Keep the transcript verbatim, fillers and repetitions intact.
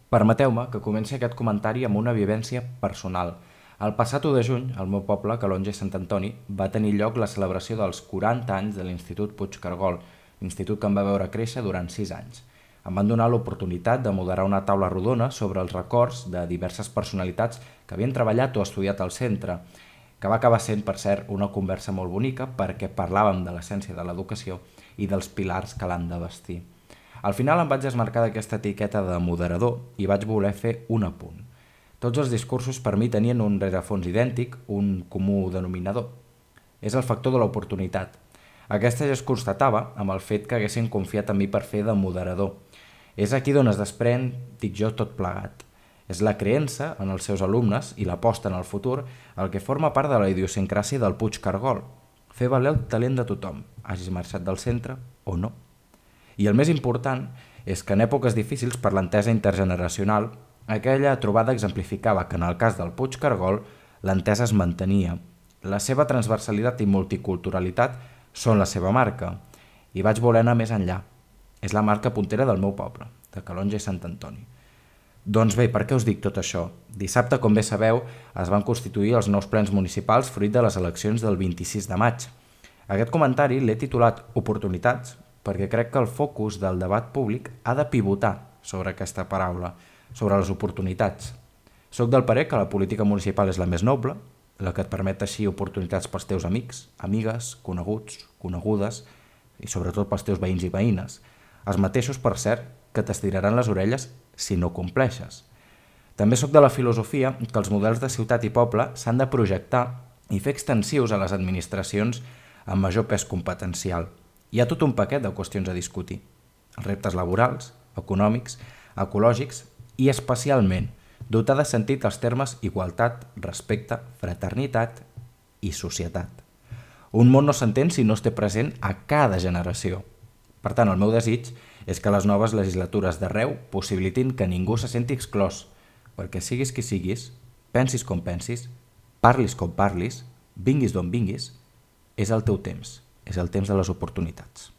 Permeteu-me que comenci aquest comentari amb una vivència personal. El passat u de juny, al meu poble, Calonge i Sant Antoni, va tenir lloc la celebració dels quaranta anys de l'Institut Puigcargol, l'institut que em va veure créixer durant sis anys. Em van donar l'oportunitat de moderar una taula rodona sobre els records de diverses personalitats que havien treballat o estudiat al centre, que va acabar sent, per cert, una conversa molt bonica perquè parlàvem de l'essència de l'educació i dels pilars que l'han de vestir. Al final em vaig desmarcar d'aquesta etiqueta de moderador i vaig voler fer un apunt. Tots els discursos per mi tenien un rerefons idèntic, un comú denominador. És el factor de l'oportunitat. Aquesta ja es constatava amb el fet que haguessin confiat en mi per fer de moderador. És aquí d'on es desprèn, dic jo, tot plegat. És la creença en els seus alumnes i l'aposta en el futur el que forma part de la idiosincràsia del Puigcargol. Fer valer el talent de tothom, hagis marxat del centre o no. I el més important és que en èpoques difícils per l'entesa intergeneracional, aquella trobada exemplificava que en el cas del Puigcargol l'entesa es mantenia. La seva transversalitat i multiculturalitat són la seva marca i vaig voler anar més enllà. És la marca puntera del meu poble, de Calonge i Sant Antoni. Doncs bé, per què us dic tot això? Dissabte, com bé sabeu, es van constituir els nous plens municipals fruit de les eleccions del vint-i-sis de maig. Aquest comentari l'he titulat Oportunitats perquè crec que el focus del debat públic ha de pivotar sobre aquesta paraula, sobre les oportunitats. Soc del parer que la política municipal és la més noble, la que et permet així oportunitats pels teus amics, amigues, coneguts, conegudes i sobretot pels teus veïns i veïnes. Els mateixos, per cert, que t'estiraran les orelles si no compleixes. També sóc de la filosofia que els models de ciutat i poble s'han de projectar i fer extensius a les administracions amb major pes competencial. Hi ha tot un paquet de qüestions a discutir. Els reptes laborals, econòmics, ecològics i especialment dotar de sentit els termes igualtat, respecte, fraternitat i societat. Un món no s'entén si no es té present a cada generació. Per tant, el meu desig és que les noves legislatures d'arreu possibilitin que ningú se senti exclòs, perquè siguis qui siguis, pensis com pensis, parlis com parlis, vinguis d'on vinguis, és el teu temps, és el temps de les oportunitats.